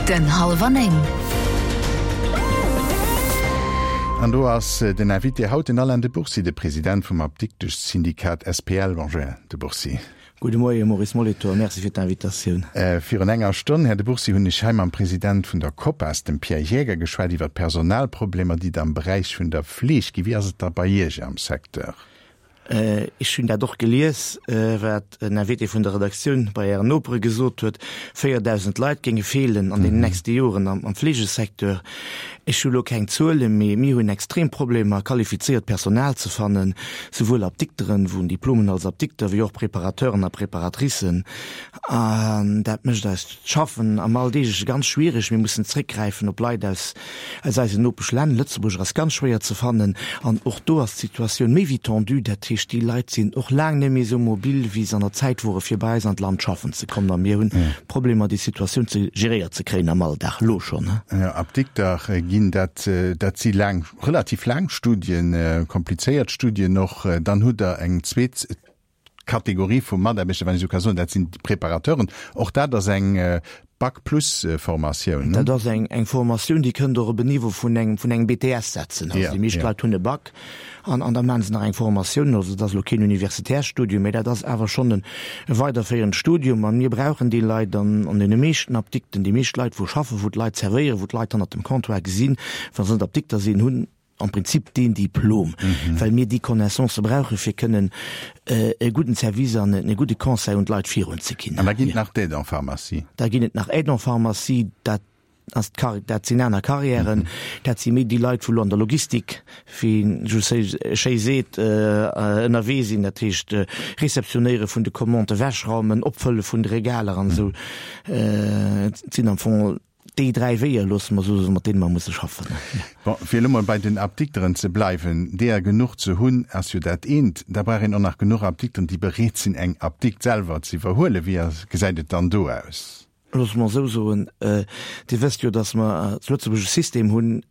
Den Hallwer 9. An do ass den Invité haut den Alain de Bourcy, de President vum Apdikteschsyndikat SPL. Bonjour, Här de Bourcy. Gudde Moie Maurice Molitor, Merci fir d'Invitatioun. Virun enger Stonn, Här de Bourcy, hunn ech hei mam President vun der COPAS, dem Pierre Jäger, geschwat iwwer d'Personalproblemer, déi et am Beräich vun der Fleeg ginn. Wéi ass et da bei Iech am Secteur? Ech hunn dat och gelies, wat en Invité vun der Redaktioun bei Ären Nopere gesot huet, 4.000 Leit géinge feelen an deenen nächste Joren am Fleegesecteur. Ech hu lo keng Zuelen, mee mir hunn extrem Problemer, qualifizéiert Personal ze fannen, souwuel Apdikteren, wou en Diplom hunn als Apdikter, wéi och Preparateuren a Preparatricen. An dat mécht eist Schaffen am Alldeegleche ganz schwiereg. Mir mussen zréckgräifen op Leit aus aus eisen Nopeschlänn. Lëtzebuerger ass ganz schwéier ze fannen an och do ass d'Situatioun méi wéi tendue. Dat heescht, déi Leit sinn och laang net méi esou mobil, wéi se an der Zäit wore fir bei eis an d'Land schaffen ze kommen. A mir hunn Problemer, déi Situatioun ze geréiert ze kréien am Alldag elo schonn. Jo, Apdikter ginn, dat dat si laang, relativ laang Studien, komplizéiert Studien och. Dann hutt Der eng zweet Kategorie vu Mataarbechter, wann ech esou ka soen, dat sinn d'Preparateuren. Och dat ass eng Bac-plus-Formatioun, ne? Dat ass eng eng Formatioun, déi kënnt och op en Niveau vun engem vun engem BTS setzen. Also déi meescht Leit hunn e Bac an an da maache se nach eng Formatioun. Also dat ass elo keen universitärt Studium, mä dat ass awer schonn en e weiderféierend Studium. A mir brauchen déi Leit an an deene meeschten Apdikten. Déi meescht Leit, wou schaffen, wou d'Leit zerwéieren, wou d'Leit hannert dem Comptoir gesinn, wa se net Apdikter sinn, hunn am Prinzip deen Diplom, well mir déi Connaissancë brauche fir kënnen e gudden Service an e gudde Conseil un d'Leit virun ze ginn. An da ginn et nach d'Aides en pharmacie. Da ginn et nach Aides en pharmacie, dat ass d'Kar-, dat sinn aner Carrièren, dat si méi déi Leit, wou elo an der Logistik, wéi een esou schéi seet, ënnerwee sinn, dat heescht Réceptionnéiere vun de Commandë, Ewechraumen, Opfëlle vun de Regaler an esou. Et sinn am Fong Déi 3 Weeër, loosse mer esou soen, mat deene mer musse schaffen. Bon, fir elo mol bei den Apdikteren ze bleiwen, deeër genuch ze hunn, ass jo dat eent. Da brauch een och nach genuch Apdikteren, déi bereet sinn, eng Apdikt selwer ze iwwerhuelen. Wéi gesäit et dann do aus? Loosse mer esou soen, Dir wësst jo, datt mer zu Lëtzebuerg e System hunn,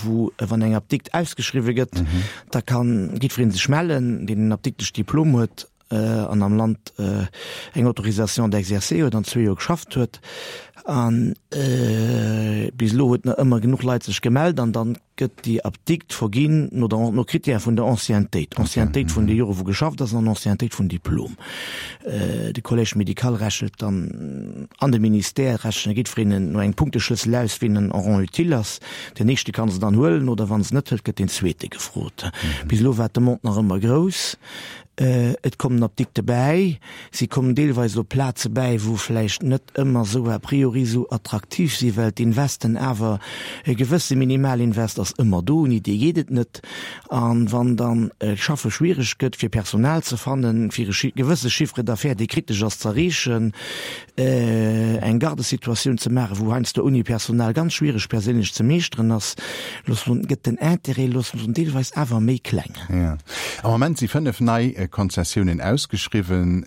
wou, wann eng Apdikt ausgeschriwwe gëtt, da kann jiddweree sech mellen, deen en Apdikteschdiplom huet, an am Land eng Autorisation d'exercer huet an zwee Joer geschafft huet. An bis elo huet nach ëmmer genuch Leit sech gemellt an dann gëtt déi Apdikt verginn no der, no Critèrë vun der Anciennetéit, Anciennetéit vun de Jore wou geschafft ass an Anciennetéit vum Diplom. De Collège médical rechent dann an de Ministère rechne jiddwereen no engem Punkteschlëssel aus, wien en rang utile ass. Den éischte kann se dann huelen oder wann se net hëlt, gëtt deen zweete gefrot. Bis elo war d'Demande nach ëmmer grouss. Et kommen Apdikte bäi. Si kommen deelweis op Plaze bäi, wou vläicht net ëmmer esou a priori esou attraktiv si, well d'Investen awer, e gewësse Minimalinvest ass ëmmer do, ouni dee geet et net. A wann dann d'Schaffe schwiereg gëtt, fir Personal ze fannen, fir e gewësse Chiffre d'affaires, dee kritesch ass, z'erreechen, eng Gardesituatioun ze maachen, wou heiansdo ouni Personal ganz schwiereg perséinlech ze meeschteren ass, loosse mer soen, gëtt den Intérêt, loosse mer soen, deelweis awer méi kleng. Jo. Am Moment si 5 nei Konzessiounen ausgeschriwwen,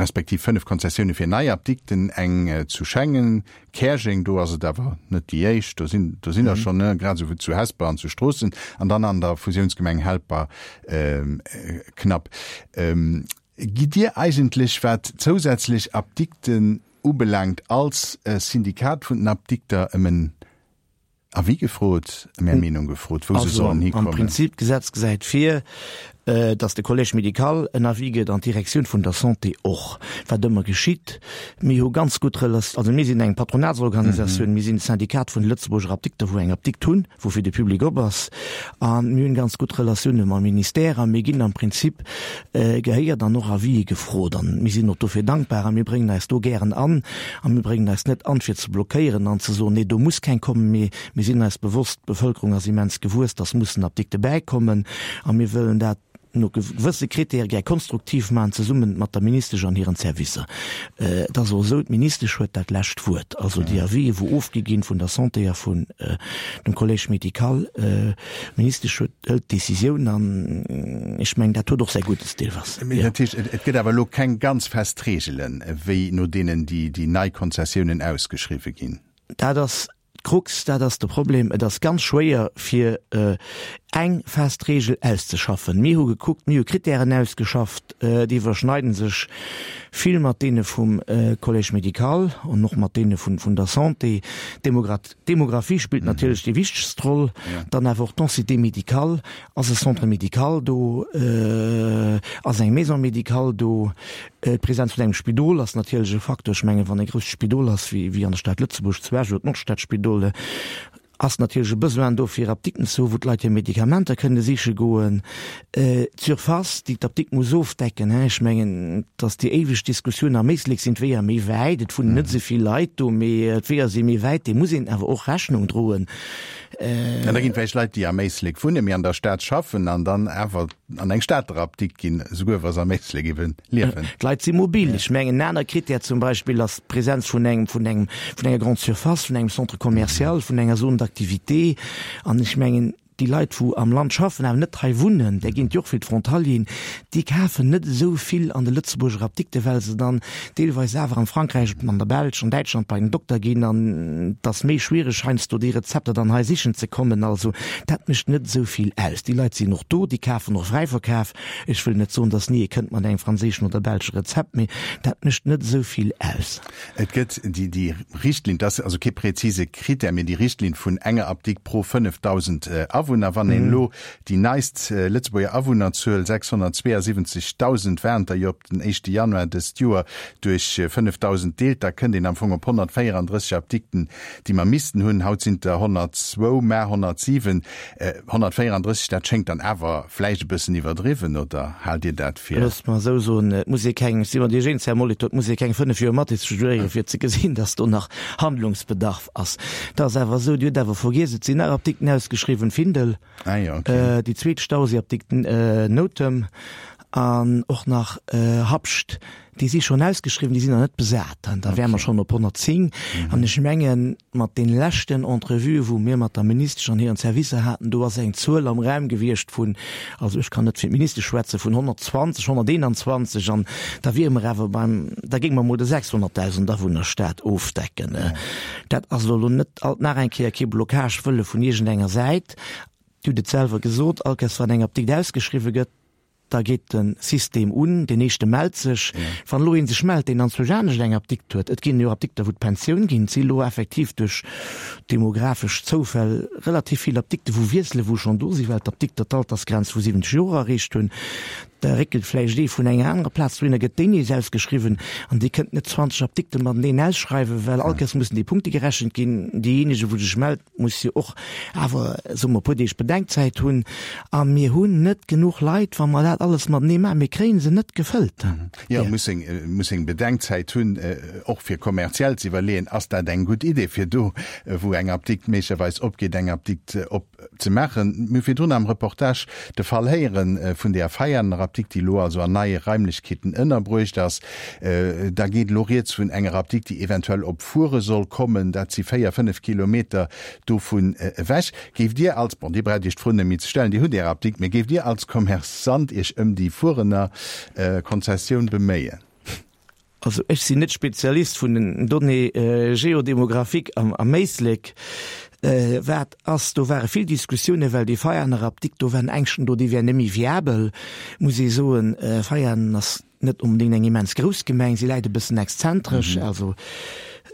respektiv 5 Konzessioune fir nei Apdikten, eng zu Schengen, Käerjeng, do ass et awer net déi éischt, do sinn do sinn der schonn, grad esou wéi zu Hesper an zu Stroossen an dann an der Fusiounsgemeng Helper knapp. Gitt Dir eigentlech, wat zousätzlech Apdikten ubelaangt, als Syndikat vun den Apdikter ëm en Avis gefrot, ëm Är Meenung gefrot, wou se sollen hikommen? Am Prinzip, d'Gesetz gesäit vir, datt de Collège médical en Avis gëtt an d'Direktioun vun der Santé och, wat ëmmer geschitt. Mir hu ganz gutt Relat-, also mir sinn eng Patronatsorganisatioun, mir sinn de Syndikat vun de Lëtzebuerger Apdikter, wou eng Apdikt hunn, wou fir de Public op ass, a mir hunn ganz gutt Relatioune mam Ministère a mir ginn am Prinzip gehéiert an och Avisë gefrot an mir sinn och dofir dankbar a mir bréngen eis do gären an a mir bréngen eis net an fir ze blockéieren an ze soen, nee do muss keng kommen, mee mir sinn eis bewosst, d'Bevëlkerung ass immens gewuess, dass mussen Apdikte bäikommen a mir wëllen dat no gewësse Kritäre gär konstruktiv maachen, zesumme mat der Ministesch an hiren Servicer. Et ass och esou, d'Ministesch huet dat lescht Wuert. Also déi Avisë wou ofgi ginn vun der Santé a vun dem Collège médical, D'Ministesch huet, hëlt d'Decisioun an ech mengen, dat huet och säi Guddes deelweis. Mee dat heescht, et gëtt awer elo keng ganz fest Reegelen, wéi no deenen déi déi nei Konzessiounen ausgeschriwwe ginn? Dat ass d'Krux, dat ass de Problem. Et ass ganz schwéier fir. Eng fest Reegel auszeschaffen. Mir hu gekuckt, mir hu Kritären ausgeschafft, déi iwwerschneiden sech vill mat deene vum Collège médical an och mat deene vun der Santé. D'Demographie spillt natierlech déi wichtegst Roll, dann awer och d'Densité médicale. Ass e Centre médical do? Ass eng Maison médicale do? D'Präsenz vun engem Spidol ass natierlech e Facteur. Ech mengen, wann e grousst Spidol ass, wéi an der Stad Lëtzebuerg zu Esch oder d'Nordstadspidol, Ass natierlech e Besoin do fir Apdikten ze hu wou d'Leit hir Medikamenter kënne siche goen. D'Surface déi d'Apdikt muss ofdecken, hein, ech mengen, et ass déi éiweg Diskussioun, am Éislek sinn d'Weeër méi wäit, et wunnen net esou vill Leit do, mee d'Weeër si méi wäit, deem muss een awer och Rechnung droen. An da ginn et vläicht Leit, déi am Éislek wunnen, mee an der Stad schaffen an dann awer an eng Stater Apdikt ginn, esouguer wa se am Éislek eben liewen. D'Leit si mobil. Ech mengen, en aner Krittär zum Beispill ass d'Präsenz vun engem, vun engem, vun enger Grande surface, vun engem Centre commercial, vun enger Zone d'activité. An ech mengen, déi Leit, wou am Land schaffen, awer net hei wunnen, där ginn et jo och vill, d'Frontalieren, déi kafen net esou vill an de Lëtzebuerger Apdikte, well se dann deelweis awer am Frankräich, an der Belsch, an Däitschland bei den Dokter ginn. An et ass méi schwiereg heiansdo déi Rezepter dann hei sichen ze kommen. Also dat mécht net esou vill aus. Déi Leit sinn och do, déi kafen och Fräiverkaf. Ech wëll net soen, datt ni ee kënnt mat engem franséischen oder belsche Rezept, mee dat mécht net esou vill aus. Et gëtt déi, déi Richtlinn, dat ass also kee präzise Krittär, mee déi Richtlinn vun enger Apdikt pro 5.000 Awunner. Wann een elo déi neist Lëtzebuerger Awunnerzuel, 672.000 waren et der jo op den éischte Januar dëst Joer, duerch 5.000 deelt, da kënnt een am Fong op 134 Apdikten, déi mer missten hunn. Haut sinn et der 102, mä 107. 134, dat schéngt dann awer vläicht e bëssen iwwerdriwwen, oder haalt Dir dat fir? Loosst mer esou soen, et muss ee keng, ech si mat Iech eens, Här Molitor, et muss ee keng 5 Joer Mathis studéieren, fir ze gesinn, datt do nach Handlungsbedarf ass. Et ass awer esou, Dir hutt awer vergiess, et sinn nach Apdikten ausgeschriwwen, Findel, déi zweet Stauséiapdikt Noutem an och nach Habscht. Déi si schonn ausgeschriwwen, déi sinn nach net besat. An da wäre mer schonn op 110. An ech mengen, mat deene leschten Entrevuë wou mir mat der Ministesch an hiren Servicer haten, do ass eng Zuel am Raum gewiescht vun, also ech kann net fir d'Ministesch schwätzen, vun 120, 121. An da wiere mer awer beim, da géinge mer emol de 600.000 Awunnerstaat ofdecken. Dat ass elo net alt nach eng Kéier kee Blocage wëlle vun iergendenger Säit. Dir hutt et selwer gesot, all Kéiers wann eng Apdikt ausgeschriwwe gëtt, Da geet de System un, deen éischte mellt sech. Wann elo ee sech mellt, deen anzwousch anescht eng Apdikt huet, et ginn jo Apdikter wou d'Pensioun ginn, et si elo effektiv duerch demografesch Zoufäll relativ vill Apdikte wou wiesselen, wou schonn do sinn, well d'Apdikter d'Altersgrenz vu 70 Joer erreecht hunn. Da réckelt vläicht ee vun enger anerer Plaz dohinner, gëtt déi nees ausgeschriwwen an Dir kënnt net 20 Apdikte mateneen ausschreiwen, well all Kéiers mussen déi Punkte gerechent ginn. Deejéinege wou sech mellt, muss jo och awer, soe mer, e puer Deeg Bedenkzäit hunn. A mir hunn net genuch Leit, wa mer dat alles matenee maachen. Mir kréie se net gefëllt. Jo, muss eng, muss eng Bedenkzäit hunn, och fir kommerziell ze iwwerleeën, ass dat eng gutt Idee, fir do, wou eng Apdikt méiglecherweis opgeet, eng Apdikt opzemaachen. Mir hu virdrun am Reportage de Fall héiere vun där Veianer Apdikt, déi elo also an neie Raimlechkeeten ënnerbruecht ass. Da geet elo rieds vun enger Apdikt, déi eventuell op Fuere soll kommen. Dat si 4, 5 Kilometer dovun ewech. Géift Dir als, bon, Dir braucht Iech d'Fro net méi ze stellen, Dir hutt Är Apdikt, mee géift Dir als Commerçant Iech ëm déi Fuerener Konzessioun beméien? Also ech sinn net Spezialist vun den Données géodémographiques am Éislek. Wat ass, do ware vill Diskussiounen, well déi Veianer Apdikt, do waren Ängschten do, déi wär net méi viabel. Muss ee soen, Veianen ass net onbedéngt eng immens grouss Gemeng, si läit e bëssen exzentresch, also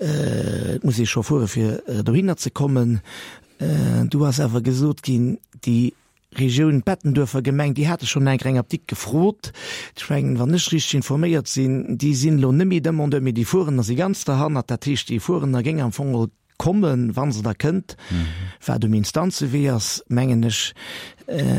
et muss ee scho fuere fir dohinner ze kommen. Du ass awer gesot ginn, déi Regioun Bettenduerfer Gemeng, déi hate schonn eng eng Apdikt gefrot. Ech mengen, wann ech richteg informéiert sinn, déi sinn elo net méi Demandeur, mee déi Fuerener si ganz derhannert. Dat heescht, déi Fuerener géing am Fong geholl kommen, wa se da kënnt, wat um Instanzewee ass, mengen ech,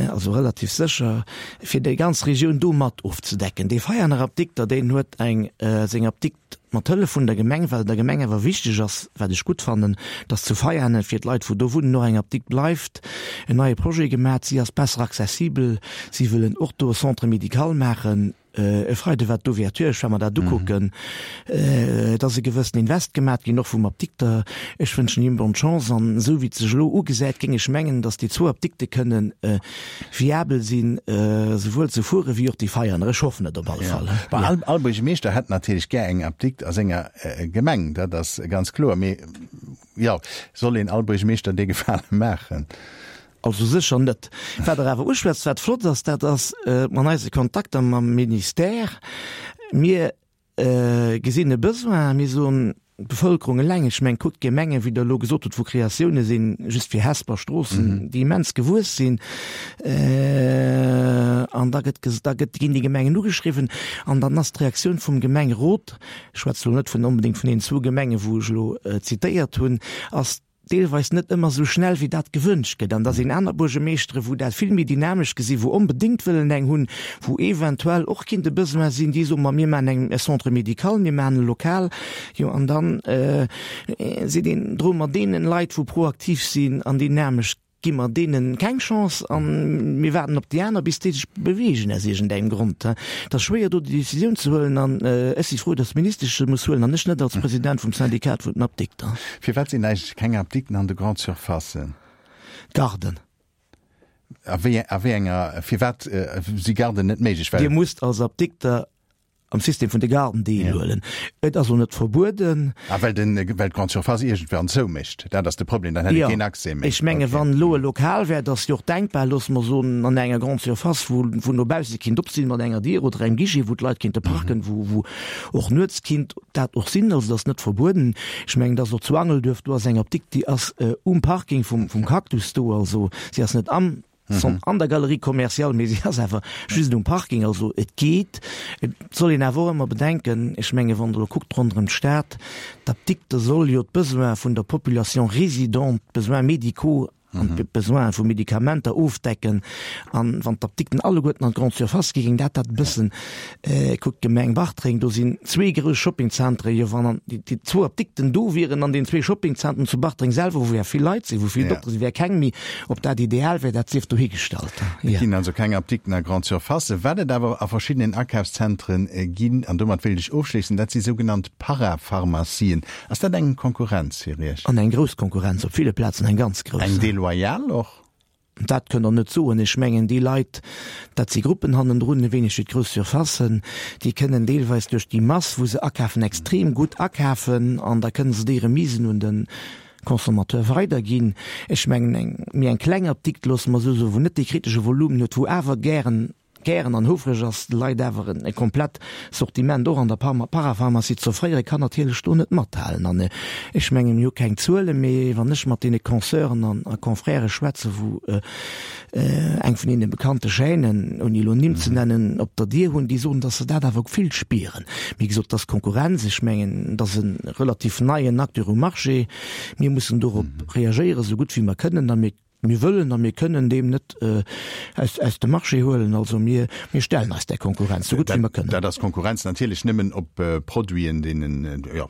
also relativ sécher, fir déi ganz Regioun do mat ofzedecken. Dee Veianer Apdikter, deen huet eng seng Apdikt mat Hëllef vun der Gemeng, well et der Gemeng awer wichteg ass, wat ech gutt fannen, dass zu Veianen fir d'Leit, wou do wunnen, och eng Apdikt bleift, en neie Projet gemat. Si ass besser accessibel. Si wëllen och do e Centre médical maachen. E Freide war d'Ouverture, ech war mer dat ukucken. Et ass e gewëssen Invest gemat ginn, och vum Apdikter. Ech wënschen him bonne chance an esou wéi et sech elo ugesäit, géing ech mengen, datt déi zwou Apdikte kënnen viabel sinn, esouwuel zu Fuere wéi och déi Veianer. Ech hoffen et op alle Fall. Bon, all, all Buergermeeschter hätt natierlech gär eng Apdikt a senger Gemeng, dat ass ganz kloer. Mee jo, soll een all Buergermeeschter dee Gefale maachen? Also sécher net. Wat Der awer uschwätzt, wat flott ass, dat ass an eise Kontakter mam Ministère, mir gesinn e Besoin, mir soen, d'Bevëlkerung eleng, ech mengen, kuckt d'Gemengen, wéi Der elo gesot hutt, wou Kreatioune sinn, just fir Hesper, Stroossen, déi immens gewuess sinn, an da gëtt, da gëtt, ginn déi Gemengen ugeschriwwen an dann ass d'Reaktioun vum Gemengerot, ech schwätze elo net vun onbedéngt vun deenen zwou Gemengen, wou ech elo zitéiert hunn, ass deelweis net ëmmer esou schnell wéi dat gewënscht gëtt. An da sinn aner Buergemeeschtere wou dat vill méi dynamesch gesinn, wou onbedéngt wëllen eng hunn, wou eventuell och kinnt e Besoin sinn, déi soen, ma mir maachen eng e Centre médical, mir maachen e Lokal. Jo, an dann seet een, droe mer deenen Leit, wou proaktiv sinn an dynamesch, Gi mer deenen keng Chance an mir waarden op déi aner bis déi sech beweegen aus iergendengem Grond. Et ass schwéier do déi Décisioun ze huelen an ech si frou, datt d'Ministesch se muss huelen an ech net als President vum Syndikat vun den Apdikter. Firwat sinn eigentlech keng Apdikten an de Grande-Surfacen? Garden. A wéi a wéi enger, firwat si Garden net méiglech? Well. Dir musst als Apdikter am System vun de Garden deelhuelen. Et ass och net verbueden. Ah, well den, well d'Grande Surface iergendwann zoumécht. Dat ass de Problem, dann hätt ee keen Accès méi. Ech menge wann elo e Lokal wär, et ass jo och denkbar, loosse mer soen, an enger Grande Surface, wou, wou no bausse kinnt op sinn mat enger Dier oder engem Guichet, wou d'Leit kinnte parken, wou, wou och nuets kinnt dat och sinn. Also et ass net verbueden. Ech mengen, et ass och zu Angelduerf, do ass eng Apdikt, déi ass um Parking vum, vum Cactus do. Also si ass net am. Sont an der Galerie commerciale, mee si ass awer just um Parking. Also et geet. Et soll een awer och ëmmer bedenken, ech menge wann Der elo kuckt ronderëm d'Stad, d'Apdikte soll jo d'Besoine vun der Population résidente, d'Besoins médicaux an d'Besoine vu Medikamenter ofdecken. An wann d'Apdikten alleguerten an d'Grande Surface gi géing dat dat e bëssen Kuckt d'Gemeng Bartreng, do sinn zwee grouss Shoppingzentren. Jo, wann an déi zwou Apdikten do wieren an den zwee Shoppingzentren zu Bartreng selwer, wou ja vill Leit sinn, wou vill Doktere sinn, wär keng méi. Ob dat ideal wär, dat sief dohigestallt. Et ginn also keng Apdikten a Grande-Surfacen. Wat et awer a verschiddenen Akafszentren ginn, an domat wéilt ech ofschléissen, dat si sougenannt Parapharmacien. Ass dat eng Konkurrenz fir Iech? An eng grouss Konkurrenz, op ville Plazen eng ganz grouss. Eng deloyal och? Dat kënnt Der net soen. Ech mengen, déi Leit, dat si Gruppen hannendrun, e wéineg wéi d'grouss Surfacen, déi kënnen deelweis duerch déi Mass, wou se akafen, extrem gutt akafen an da kënnen se déi Remisen un de Consommateur weiderginn. Ech mengen, eng méi eng kleng Apdikt, loosse mer esou soen, wou net dee kritesche Volumen huet, wou awer gären, gären an houfreg ass, de Leit awer e komplett Sortiment och an der Parapharmacie ze offréieren, kann natierlech do net mathalen. An ech mengen, mir hu keng Zuelen, mee wann ech mat deene Consœuren an a Confrèrë schwätzen, wou eng vun deene bekannte Chaînen, ouni elo Nimm ze nennen, op der Dier hunn, déi soen, datt se dat awer vill spieren. Wéi gesot, et ass Konkurrenz. Ech mengen, et ass e relativ neien Acteur um Marché. Mir mussen dorop reagéieren, esou gutt wéi mer kënnen a mir Mir wëllen a mir kënnen deem net aus, aus dem Marché huelen. Also mir, mir stellen eis där Konkurrenz, sou gutt wéi mer kënnen. Dat ass Konkurrenz natierlech nëmmen op Produiten, deenen, jo,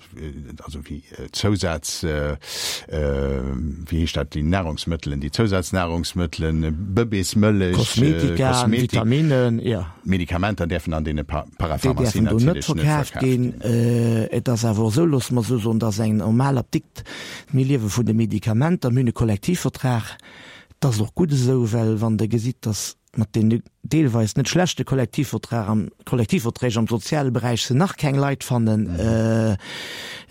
also wéi Zousaz, wéi heescht dat, déi Nahrungsmëttelen, déi Zousaznahrungsmëttelen, Bëbeesmëllech, Kosmetika, Kosmetik, Vitaminen, jo. Medikamenter däerfen an deene Parapharmacien natierlech net verkaaft ginn. Et ass awer och esou, loosse mer esou soen, dass eng normal Apdikt Mir liewe vun de Medikamenter, mir hunn e Kollektivvertrag. Dat ass och gutt esou, well wann Der gesitt, datt mat deene deelweis net schlechte Kollektivvertrag am, Kollektivverträg am soziale Beräich se nach keng Leit fannen,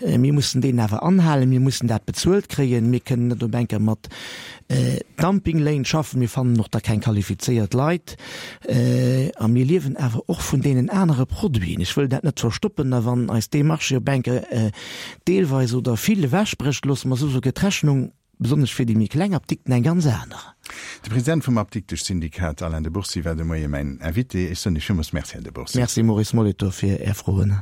mir mussen deen awer anhalen, mir mussen dat bezuelt kréien, mir kënnen net op enker mat Dumpingléin schaffen, mir fannen och da keng qualifizéiert Leit a mir liewen awer och vun deenen anere Produiten. Ech wëll dat net verstoppen a wann eis dee Marché op enker deelweis oder vill ewechbrécht, loosse mer esou gëtt d'Rechnung, besonnesch fir déi méi kleng Apdikten, eng ganz aner. De President vum Apdikteschsyndikat, Alain de Bourcy, war de Moie mäin Invité. Ech soen Iech villmools Merci, Här de Bourcy. Merci, Maurice Molitor, fir Är Froen.